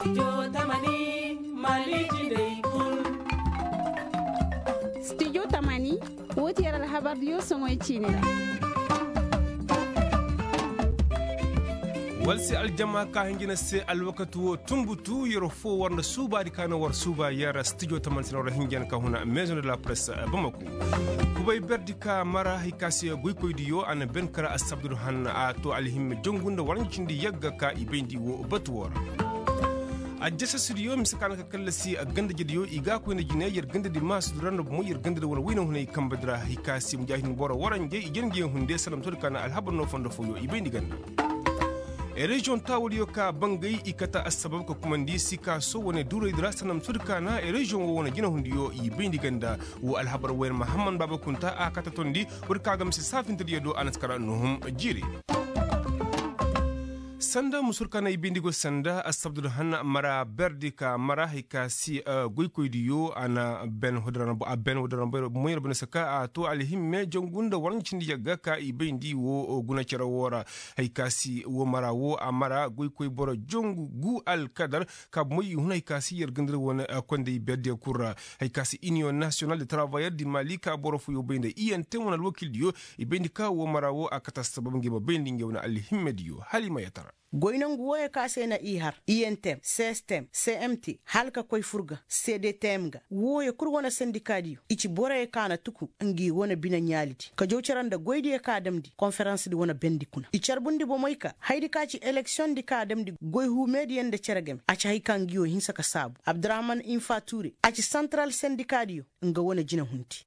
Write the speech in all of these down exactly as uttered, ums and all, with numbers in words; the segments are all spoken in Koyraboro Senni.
Studio tamani, woo ti yer alhabardiyo soŋoy ciini ra. War se aljama ka hinjina se alwakati woo tunbutu yer foo war nda suubaadi ka na war suuba yer studio tamani se na war hinjina ka huna maison de la presse bamako. Kubay berdi ka mara hay ka se goykoydiyo a na ben kara assabdudu hanna a too alhimme jongu nda war ɲa cindi yagga ka i bayndi woo batu woo ra. Ajjasasidiyo mise ka na ka kallasi gandajediyo i ga a koy nda jine yer gandadi maasudu ra nda bomo yer gandadi wane wayna hunay kambadi ra hay ka se mujaahidin boro waranjey i jana ngi yaŋ hunde sanda ma to di ka na alhabar no fondo fooyo i bayndi ganda. Reziyoŋ taawadiyo ka bangay i kate assabab ka kumandi sikaaso wane duuraydi ra sanda ma to di ka na reziyoŋ woo wane jinahundiyo i bayndi ganda. Woo alhabar wayne mahammad baaba kunta a kate tondi. Woo di ka ga mise saafintediyo do a na si kara nuhum jiiri. Sanda musur ka na i bayndi go sanda assabdudu hanna mara berdi ka mara hay ka si goykoydiyo a na ben hudaran boy ra banda saka a to alhimme jangu nda war ɲa cindi yagga ka i bayndi woo guna cere woo ra. Hay ka si woo mara woo a mara goykoy boro jangu gu alkadar ka bomoy i hun hay ka si yer gandadi wane konday berdiyo kul ra. Hay ka si iniyoŋ nasiyonal de travayer di mali ka boro fooyo bay nda iyentem wane alwakildiyo i bayndi ka woo mara woo a kate assabab ngey ma bayndi ngey wane alhimmediyo hala i ma yatara. Goy nongu wooyo ka se na i har iyentem sestem cmt hala ka koy fur ga cdtm ga wooyo kul wane sendikaadiyo i ci boroyo ka na tuku ngi wane bine ɲaalidi ka jaw cere nda goydiyo ka damndi konferansdi wane bendi kuna i carbundi bomoy ka hayadi ka ci eleksiyoŋdi ka damndi goy huumeediyo nda cere game a ci hay ka ngiyo hinsa ka saabu abdurahman infa tuure a ci santaral sendikaadiyo nga wane jinahundi.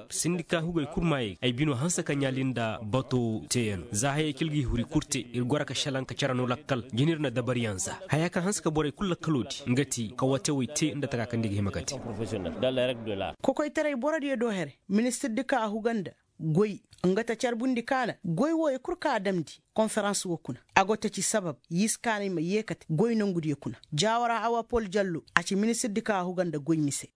Sindika hugey kul maayey ay bino hanse ka ɲaali nda bato teeyaŋ za hayey kaŋ ir ga i huri kul te ir goro ka šelaŋ ka cere no lakkal jina ir na dabariyaŋ za haya kaŋ hanse ka borey kul lakkaloodi nga ti kawatewey te nda taka kaŋ nda i ga hima ka te. Kokoytaray borodiyo do here ministirdi ka a huga nda goy nga ta carbundi kaana goy wooyo kul ka a damndi konferans woo kuna a go ta ci sabab yiskaanay ma yeekate goy nongudiyo kuna jaawara awa pol jallo a ci ministirdi ka a huga nda goy mise.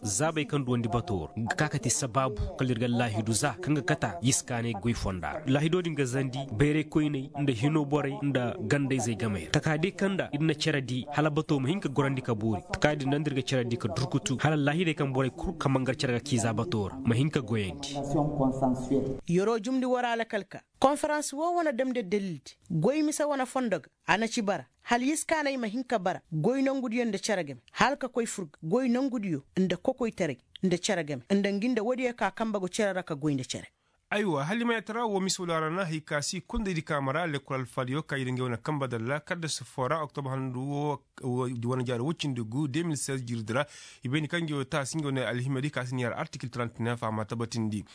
Zaabey kaŋ duwandi bato war ga ka ka ti sabaabu kala ir ga laahidu za kaŋ ga kata yiskaanay goy fonda ra laahido din ga zandi bayraykoyney nda hinoo borey nda gandayzey gamey ra takaadiyo kaŋ nda ir na cere di hala bato ma hin ka gorandi ka boori takaadiyo din nda ir ga cere di ka durkutu hala laahidey kaŋ borey kul ka mangar cere ga kii za bato ra ma hin ka goyandi. Yeroo jumndi war alakal ka konferans woo wane damndi dalildi goy mise wane fondo ga a na ci bara hala yiskaanay ma hin ka bara goy nongudiyo nda cere game hala ka koy fur ga goy nongudiyo nda kokoytaray nda cere game nda ngi nda woodiyo ka kambe go cere ra ka goy nda cere. Aywa hala i ma yatara woo mise wala ra na hay ka si kondaydi ka mara lekkol alfaadiyo ka ir ngey wane kambe dalla kadda si foo ra oktob handu woo wane jaari woy cindi gu deux mille seize jirdi ra. I bayndi kaŋ ngey woo taasi ngey wane alhimedi ka si ni har artikil trente neuf a ma tabatindi.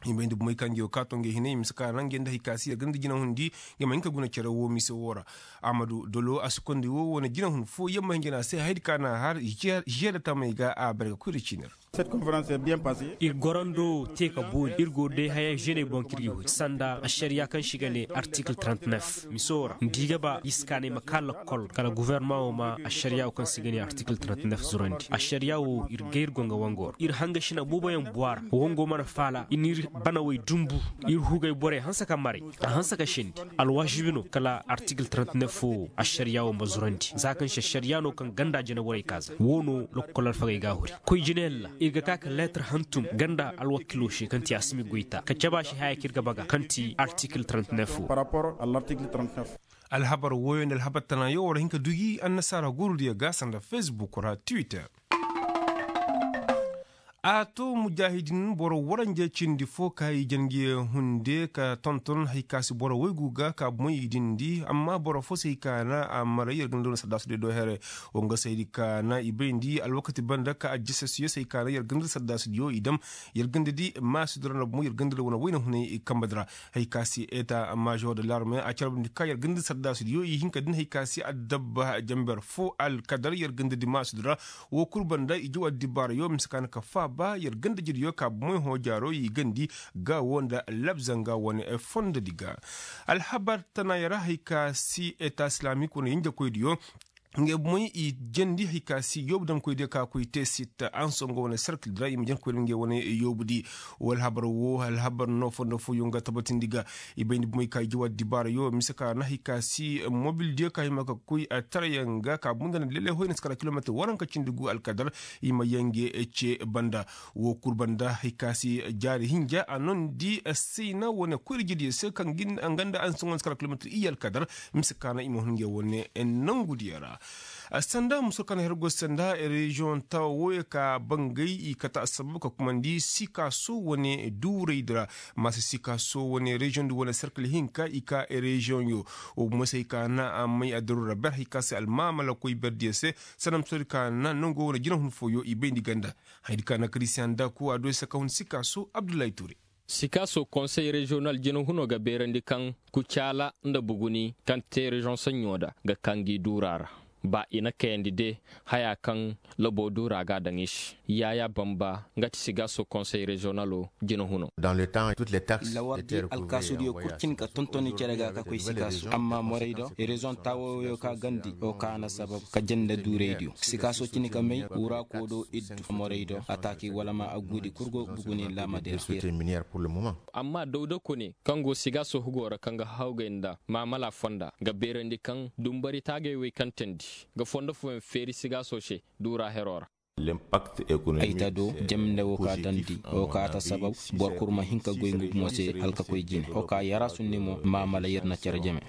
I bayndi bomoy kaŋ ngey woo kaato ngey hinay mise ka naŋ ngey nda hay ka si yer ganda jinahundi ngey ma hin ka guna cere woo mise woo ra. Amadu dolo a si kondi woo wane jinahun fooyaŋ ma hin jana se hayadi ka na har žeeda tamey ga a bare ga koy da ciini ra. Ir gorando te ka boori ir go day haya žene boŋ kaŋ ir ga huri sanda ašariya kaŋ se i ga ne artikil trente neuf miso ra nda i ga ba iskaanay ma ka lakkol kala gofornama wo ma ašariya wo kaŋ se i ga ne artikil trente neuf zurandi ašariya wo ir gay ir go nga wango ra ir hangashina booboyaŋ buwa ra wango mana faala i n'ir banawey dumbu ir hugay borey hanse ka maray a hanse ka sendi alwaasibi no kala artikil trente neuf wo ašariya wo ma zurandi za kaŋ se ašariya no kaŋ ganda jinaborey ka za wo no lakkol alfagey ga a huri koy jinayaŋ ra ir ga ka ka leetar hantum ganda alwakilo se kaŋ ti asimi goyta ka caba se haya kaŋ ir ga baga kaŋ ti artikil trente neuf wo. Alhabar woyo nda alhabar tanayo war hin ka dugi annasaara gurudiyo ga sanda fesbuk ra twitter. A to mujaahidin boro waranje cindi fo ka i jange hunde ka tonton hay ka si boro waygu ga ka bomoy i dindi amma boro fo si hay ka na a maray yer ga na doona saddaasu day do here. Wo nga saydi ka na i bayndi alwakati banda ka ajjasasiyo si hay ka na yer ga na da saddaasudiyo i dam yer ga na da di maasudi ra nda bomoy yer ga na da wane wayna hunay kambadi ra. Hay ka si eta maazor de larme a carbundi ka yer ga na da saddaasudiyo i hin ka din hay ka si addabba jamber fo alkadar yer ga na da di maasudi ra. Wo kul banda i jaw addibaarayo mise ka na ka faaba yer ganda jediyo ka bomoy hõ jaaro i gandi ga wo nda labzanga wane fondodi ga. Alhabar tanaaya ra hay ka si eta silaamik wane yinjakoydiyo. Ngey bomey i jandi hari ka si yoobu damkoy diyo ka koy te sitta anso nga wane serkil di ra i ma jandi koy da ngey wane yoobu di. Wala habar wo alhabar no fondo fooyoŋ ga tabatindi ga. I bayndi bomey ka i jawa dibaarayo mise ka na hari ka si mobil diyo ka hima ka koy tarayaŋ ga ka bunda na lele hoy na si kara kilometir waranka cindi gu alkadar. I ma yaŋ ga ce banda wo kul banda hari ka si jaari hinja a nondi sayna wane koyra jediyo se kaŋ ganda anso nga na si kara kilometir iyye alkadar. Mise ka na i ma hun ngey wane nangudiyo ra. Sanda muso kaŋ hergo sanda reziyoŋ tawa wooyo ka bangay i kate assabab ka kumandi sikaaso wane duuraydi ra. Maasa sikaaso wane reziyoŋdi wane serkil hinka i ka reziyoŋyo. Wo bomo se hay ka na a may addaru ra ber hay ka se almaamalakoy berdiyo se. Sanda muso di ka na nango wane jinahun fooyo i bayndi ganda. Haydi ka na kiristiyan daku a do ay se ka hun sikaaso abdullahi ture. Sikaaso konsey reziyonal jinahuno ga beerandi kaŋ kucaala nda buguni kaŋ te reziyoŋ saɲɲo da ga kaŋ gi duura ra. Ba i na kayandi de haya kaŋ labo duura ga a daŋ i se. Yaayaa bamba nga ti sigaaso konsey reziyonalo jinahuno. Lawar di alkaasudiyo kul cin ka tontoni cere ga ka koy sikaaso amma morey do reziyoŋ taawoyo ka gandi wo ka na sabab ka janda duuraydiyo sikaaso cin ka may wuraako do iddu morey do ataaki wala ma agudi kul go buguni laamadeer. Amma dawda kone kaŋ go sigaaso hugo ra kaŋ ga hawgay nda maamala fonda ga beerandi kaŋ dumbari taagay wey kaŋ teendi ga fondo fooyaŋ feeri sigaaso se duura hero ra. Ay ta do jemnde wo ka dandi wo ka ta sabab boro kul ma hin ka goy nga bumo se hala ka koy jine wo ka yara sunni mo maamala yer na cere jeme.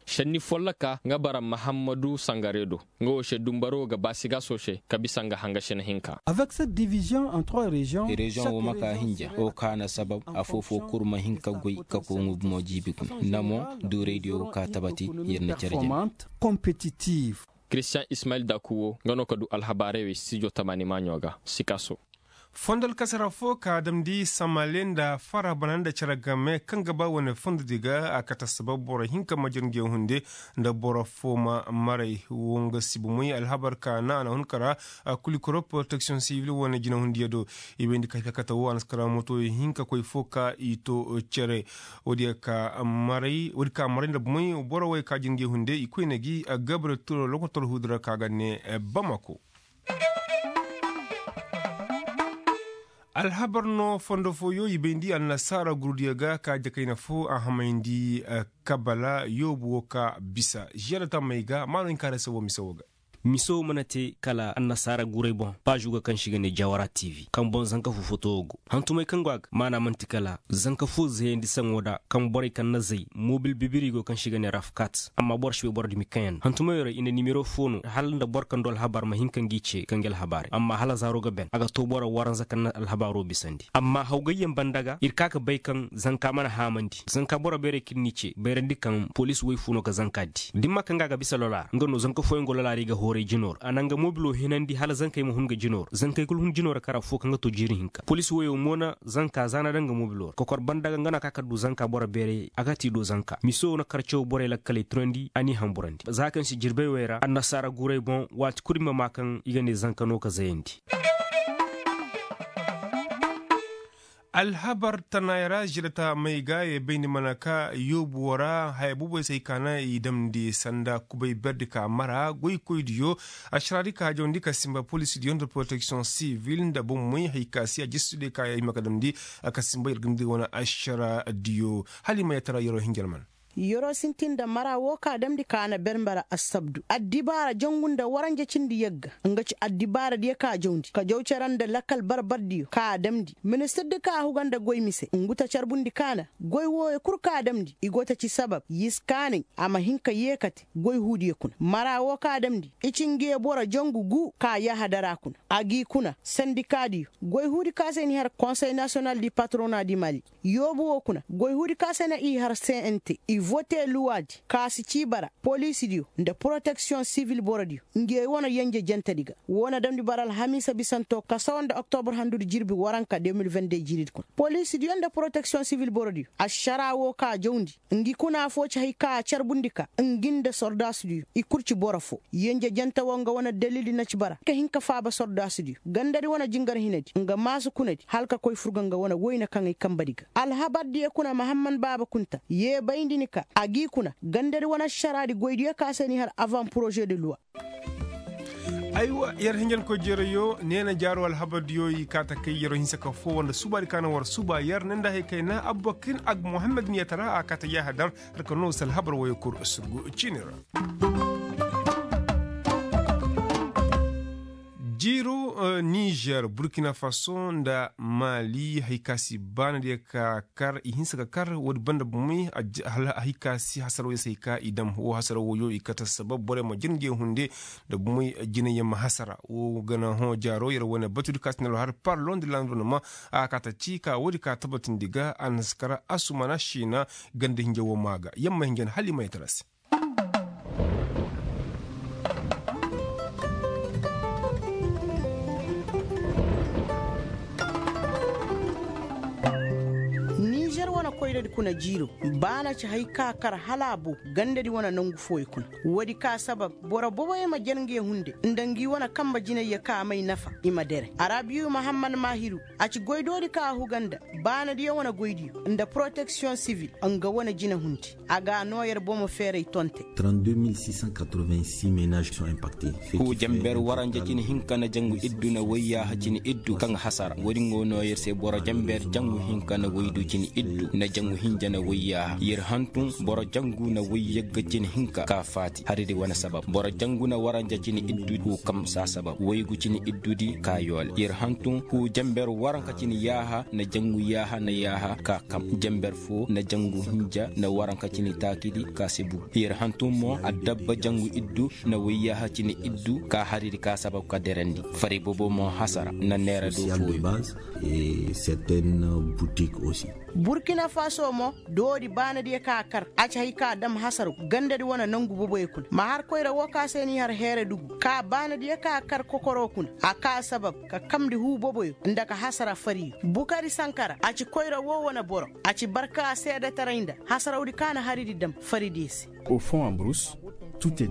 Senni folloka nga bara mahammadu sangare do nga wo se dumbaro ga ba sigaaso se ka bisa nga hanga sina hinka. Avec cette division en trois régions. Reziyoŋ wo ma ka hinja wo ka na sabab afoo-foo kul ma hin ka goy ka koy nga bumo jiibi kuna nda mo duuraydiyo wo ka tabati yer na cere jeme. Kiristiyaŋ ismayil daku wo nga no ka du alhabaarey wey studio tamaani maaɲo ga sikaaso. Fondo alkasara fo ka damndi samale nda fara bana nda cere game kaŋ ga ba wane fondodi ga a kate sabab boro hinka ma jere ngey hunde nda boro fo ma maray wo nga si bomoy alhabar ka na a na hun kara. Kulikoro poroteksiyoŋ sibil wane jinahundiyo do i bayndi ka hay ka kate wo a na si kara moto hinka koy fo ka i to cere. Woodi ka maray nda bomoy boro wey ka jere ngey hunde i koyne gi gabre turo lokotor huudi ra ka ga ne bamako. Alhabar no fondo fooyo i bayndi annasaara gurudiyo ga ka jakayna fo a hamayndi kabala yoobu wo ka bisa žiyada tammey ga maano hinka ra se wo mise wo ga. Mise wo mana te kala annasaara guray boŋ paazu ga kaŋ se i ga ne jawara tv kaŋ boŋ zanka fo foto wo go hantumey kaŋ go a ga maana man'ti kala zanka fo zayandi saŋo da kaŋ borey kaŋ na zay mobil bibiri go kaŋ se i ga ne rafkat amma boro si bay boro dumi kaŋ yaŋ no hantumey ra i na nimero fo no hala nda boro kaŋ du alhabar ma hin ka ngi ce ka ngi alhabaarey amma hala zaaro ga ben a ga to boro waranza kaŋ na alhabaaro bisandi amma hawgayyaŋ banda ga ir ka ga bay kaŋ zanka mana haamandi zanka boro beerey kaŋ n'i ce bayrandi kaŋ poliisi woy fo no ga zanka di da ni ma kaŋ ga a ga bisa lola ra nga no zanka fooyaŋ go lola ra i ga hooray jino ra a na nga mobilo hinandi hala zankey ma hun ga jino ra zankey kulu hun jino ra kar affo kaŋ ga to jiiri hinka poliisi woyo mo na zanka za na daŋ nga mobilo ra kokor banda ga nga no a ka ka du zanka boro beerey a ga ti do zanka miso na karcaw borey lakkaley tunandi a n'i hamburandi za kaŋ si jirbey wey ra annasaara guray boŋ waati kulu i ma maa kaŋ i ga ne zanka no ka zayandi. Alhabar tanaayey ra žirata may ga ye bayndi mana ka yoobu wo ra haya boobey se ay ka na i damndi sanda kubay berdi ka mara goykoydiyo. Ašaraadi ka jawndi ka sinba poliisidiyo nda poroteksiyoŋ sivil nda bomey hay ka si a jistudi ka ay ma ka damndi ka sinba yer ga ni di wane ašaraadiyo. Hala i ma yatara yeroo hinja alman. Yeroo sintin nda mara woo ka damndi ka na ber mbara assabdu addibaara jangu nda waranja cindi yagga nga ci addibaaradiyo ka jawndi ka jaw cere nda lakkal barbardiyo ka damndi ministirdi ka huga nda goy mise ngu ta carbundi ka na goy wooyo kul ka damndi i go ta ci sabab yiskaanay a ma hin ka yeekate goy huudiyo kuna mara woo ka damndi i ci nge boro jangu gu ka yahadara kuna a g'i kuna sandikaadiyo goy huudi ka se ni har konsey nasiyonal di patrona di mali yoobu woo kuna goy huudi ka se na i har cnt i vote luwaadi ka si cii bara poliisidiyo nda poroteksiyoŋ sivil borodiyo nge wane yenje jentedi ga woo na damndi bara alhamiisa bisanto ka sawa nda oktobur handudi jirbi waranka de mil vende jiiridi kuna poliisidiyo nda poroteksiyoŋ sivil borodiyo ašaraa woo ka jawndi ngi kuna affoo ci hay ka a carbundi ka ngi nda sordaasudiyo i kul ci boro foo yenje jente woo nga wane dalildi na ci bara ka hin ka faaba sordaasudiyo gandadi wane jingar hinadi nga maasu kunadi hala ka koy furga nga wane woyne kaŋ ay kambadi ga alhabardiyo kuna mahamman baaba kunta yee bayndi ni ka A g'i kuna gandadi wane ašaraadi goydiyo ka se n'i har avan poroze de luwa. Aywa, yer hinjankoy jeerayo neena jaaro alhabardiyo i kaa ta kay yer hinsa ka foo nda subaadi ka na war suba yer ne nda hay kayna abubakir ag muhammad niyatara a kaa ta yaaha dar. Har ka noo se alhabar woyo kul surgu ciini ra. Jiiro nizer burkina faso nda maali hay ka si baanadiyo ka kar i hinsa ka kar woodi banda bomey. Hay ka si hasaraw yer se hay ka i dam woo hasaraw wooyo i kate sabab borey ma jir nge hunde nda bomey. Jinay yer ma hasara woo ga na hõ jaaro yer wane batudi ka si na lo har parlon de lanvironnement a ka ta ci ka woodi ka tabatindi ga a na si kar asumana siina ganda hinja woo maa ga yer ma hinja na hala i ma yee tara se. Nizer wane koyradi kuna jiiro baana ci hay ka kar hala a bow gandadi wane nangu fooyo kuna. Woodi ka sabab boro boboyo ma jar nge hunde nda ngi wane kambe jinayyo ka may nafa i ma dere arabiyu mahammad mahiru. A ci goydoodi ka a huga nda baanadiyo wane goydiyo nda poroteksiyoŋ sivil nga wane jinahundi. A ga a noo yer bomo feeray tonte. Huu janber waranja cini hinka na jangu iddu na woyyaaha cini iddu kaŋ hasara woodi nga noo yer se boro janber jangu hinka na woydu cini iddu na jangu hinja na woyyaaha yer hantum boro jangu na woyyagga cini hinka ka faati haridi wane sabab boro jangu na waranja cini iddu huu kam saa sabab woygu cini iddudi ka yoole yer hantum huu janber waranka cini yaaha na jangu yaaha na yaaha ka kam janber foo na jangu hinja na waranka cini taakidi ka si bur yer hantum mo addabba jangu iddu na woyyaaha cini iddu ka haridi ka sabab ka derandi fari bobo mo hasara na neera do fooyo. Burkina faso mo doodi baanadiyo ka a kar a ci hay ka a dam hasaraw gandadi wane nangu boboyo kuna ma har koyra woo ka se n'i har heere dugu ka baanadiyo ka a kar kokoro kuna a ka sabab ka kamndi huu boboyo nda ka hasara fariyo bukari sankara a ci koyra woo wane boro a ci barka seedetaray nda hasarawdi ka na haridi dam faridiyo se.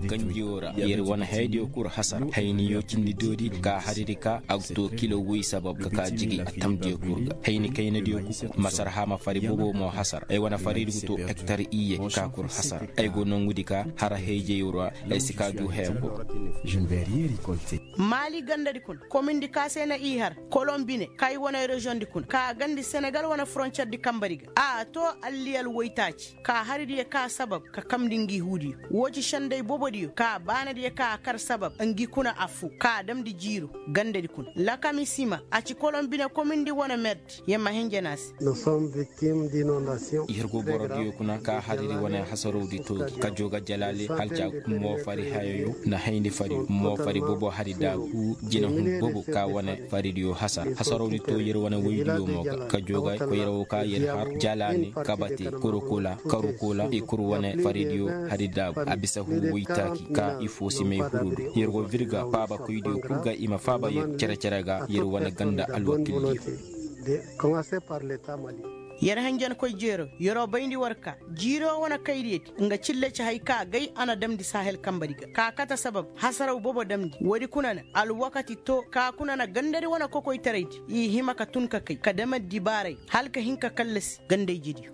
Kanjiyo ra yer wane hayadiyo kul hasara hayniyo cindi doodi ka haridi ka a ga too kilo woy sabab ka ka jigi a tamdiyo kul ga hayni kaynadiyo kul masarha ma fari bobo mo hasara ay wane faridi ga too hektar iyye ka kul hasara ay go nongudi ka har hayjey ra ay si ka du haya kul. Maali gandadi kuna komindi ka se na i har kolombi ne kay wane reziyoŋ di kuna ka gandi senegal wane foroncer di kambari ga a too alliyal woytaaci ka haridiyo ka sabab ka kamndi ngi huudiyo woo ci sendey bobodiyo ka baanadiyo ka a kar sabab ngi kuna affoo ka damndi jiiro gandadi kuna lakami sima a ci kolombi ne komindi wane merdi yer ma hinja na a se. I har go borodiyo kuna ka hariri wane hasarawdi too gi ka joo ga jalaale halca moofari hayoyo na hayni fari moofari bobo hari daabu jinahun bobo ka wane faridiyo hasara hasarawdi too yer wane woydiyo mo ga ka joo ga koyra woo ka yer har jalaani kabate korokola karukola i kul wane faridiyo hari daabu a bisa huu woytaaki ka i foosimey hurudu yer go virga faabakoydiyo kul ga i ma faaba yer cere-cere ga yer wane ganda alwakildiyo. Yer hanjankoy jeero yer'o bayndi war ka jiiro wane kayriyadi nga cille ci hay ka gay a na damndi sahel kambadi ga ka kate sabab hasaraw bobo damndi woodi kuna na alwakati to ka kuna na gandadi wane kokoytaraydi i hima ka tun ka kay ka dam addibaaray hala ka hin ka kallasi gandayjediyo.